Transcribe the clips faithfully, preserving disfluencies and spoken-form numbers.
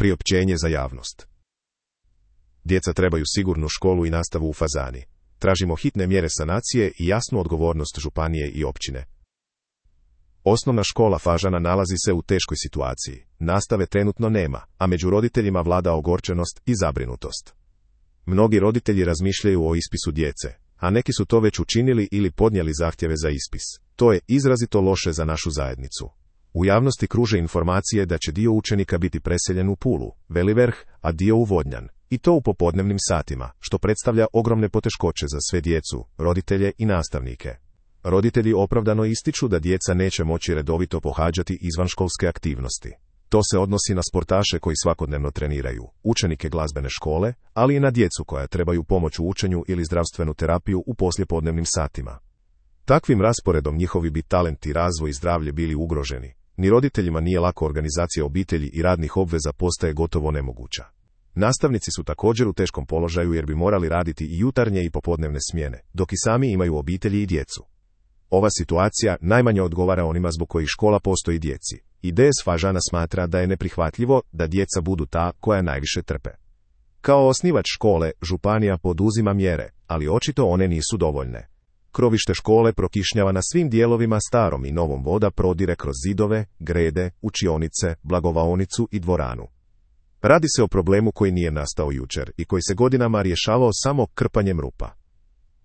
Priopćenje za javnost. Djeca trebaju sigurnu školu i nastavu u Fazani. Tražimo hitne mjere sanacije i jasnu odgovornost županije i općine. Osnovna škola Fažana nalazi se u teškoj situaciji. Nastave trenutno nema, a među roditeljima vlada ogorčenost i zabrinutost. Mnogi roditelji razmišljaju o ispisu djece, a neki su to već učinili ili podnijeli zahtjeve za ispis. To je izrazito loše za našu zajednicu. U javnosti kruže informacije da će dio učenika biti preseljen u Pulu, Velivrh, a dio u Vodnjan, i to u popodnevnim satima, što predstavlja ogromne poteškoće za sve djecu, roditelje i nastavnike. Roditelji opravdano ističu da djeca neće moći redovito pohađati izvanškolske aktivnosti. To se odnosi na sportaše koji svakodnevno treniraju, učenike glazbene škole, ali i na djecu koja trebaju pomoć u učenju ili zdravstvenu terapiju u poslijepodnevnim satima. Takvim rasporedom njihovi bi talenti, razvoj i zdravlje bili ugroženi. Ni roditeljima nije lako, organizacija obitelji i radnih obveza postaje gotovo nemoguća. Nastavnici su također u teškom položaju jer bi morali raditi i jutarnje i popodnevne smjene, dok i sami imaju obitelji i djecu. Ova situacija najmanje odgovara onima zbog kojih škola postoji djeci. I D S Fažana smatra da je neprihvatljivo da djeca budu ta koja najviše trpe. Kao osnivač škole, županija poduzima mjere, ali očito one nisu dovoljne. Krovište škole prokišnjava na svim dijelovima, starom i novom voda prodire kroz zidove, grede, učionice, blagovaonicu i dvoranu. Radi se o problemu koji nije nastao jučer i koji se godinama rješavao samo krpanjem rupa.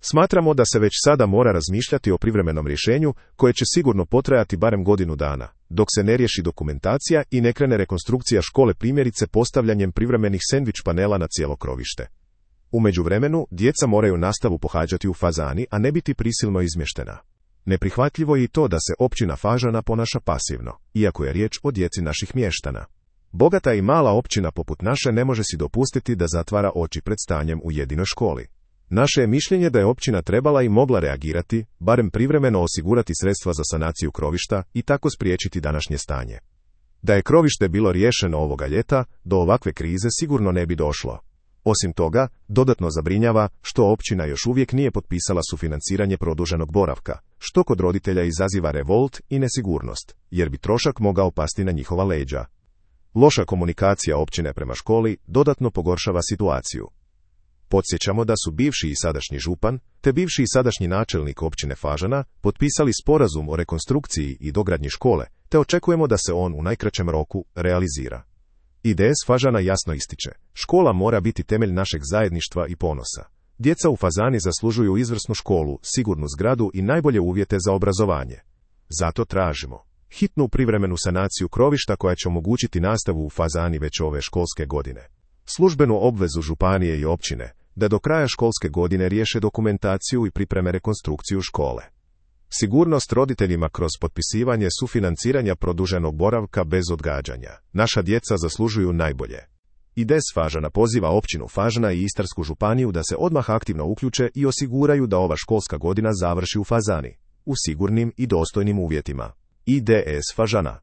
Smatramo da se već sada mora razmišljati o privremenom rješenju koje će sigurno potrajati barem godinu dana, dok se ne riješi dokumentacija i ne krene rekonstrukcija škole, primjerice postavljanjem privremenih sendvič panela na cijelo krovište. U međuvremenu, djeca moraju nastavu pohađati u Fazani, a ne biti prisilno izmještena. Neprihvatljivo je i to da se općina Fažana ponaša pasivno, iako je riječ o djeci naših mještana. Bogata i mala općina poput naše ne može si dopustiti da zatvara oči pred stanjem u jedinoj školi. Naše je mišljenje da je općina trebala i mogla reagirati, barem privremeno osigurati sredstva za sanaciju krovišta i tako spriječiti današnje stanje. Da je krovište bilo riješeno ovoga ljeta, do ovakve krize sigurno ne bi došlo. Osim toga, dodatno zabrinjava što općina još uvijek nije potpisala sufinanciranje produženog boravka, što kod roditelja izaziva revolt i nesigurnost, jer bi trošak mogao pasti na njihova leđa. Loša komunikacija općine prema školi dodatno pogoršava situaciju. Podsjećamo da su bivši i sadašnji župan, te bivši i sadašnji načelnik općine Fažana potpisali sporazum o rekonstrukciji i dogradnji škole, te očekujemo da se on u najkraćem roku realizira. I D S Fažana jasno ističe, škola mora biti temelj našeg zajedništva i ponosa. Djeca u Fazani zaslužuju izvrsnu školu, sigurnu zgradu i najbolje uvjete za obrazovanje. Zato tražimo hitnu privremenu sanaciju krovišta koja će omogućiti nastavu u Fazani već ove školske godine. Službenu obvezu županije i općine da do kraja školske godine riješe dokumentaciju i pripreme rekonstrukciju škole. Sigurnost roditeljima kroz potpisivanje sufinanciranja produženog boravka bez odgađanja. Naša djeca zaslužuju najbolje. I D S Fažana poziva općinu Fažana i Istarsku županiju da se odmah aktivno uključe i osiguraju da ova školska godina završi u Fazani, u sigurnim i dostojnim uvjetima. I D S Fažana.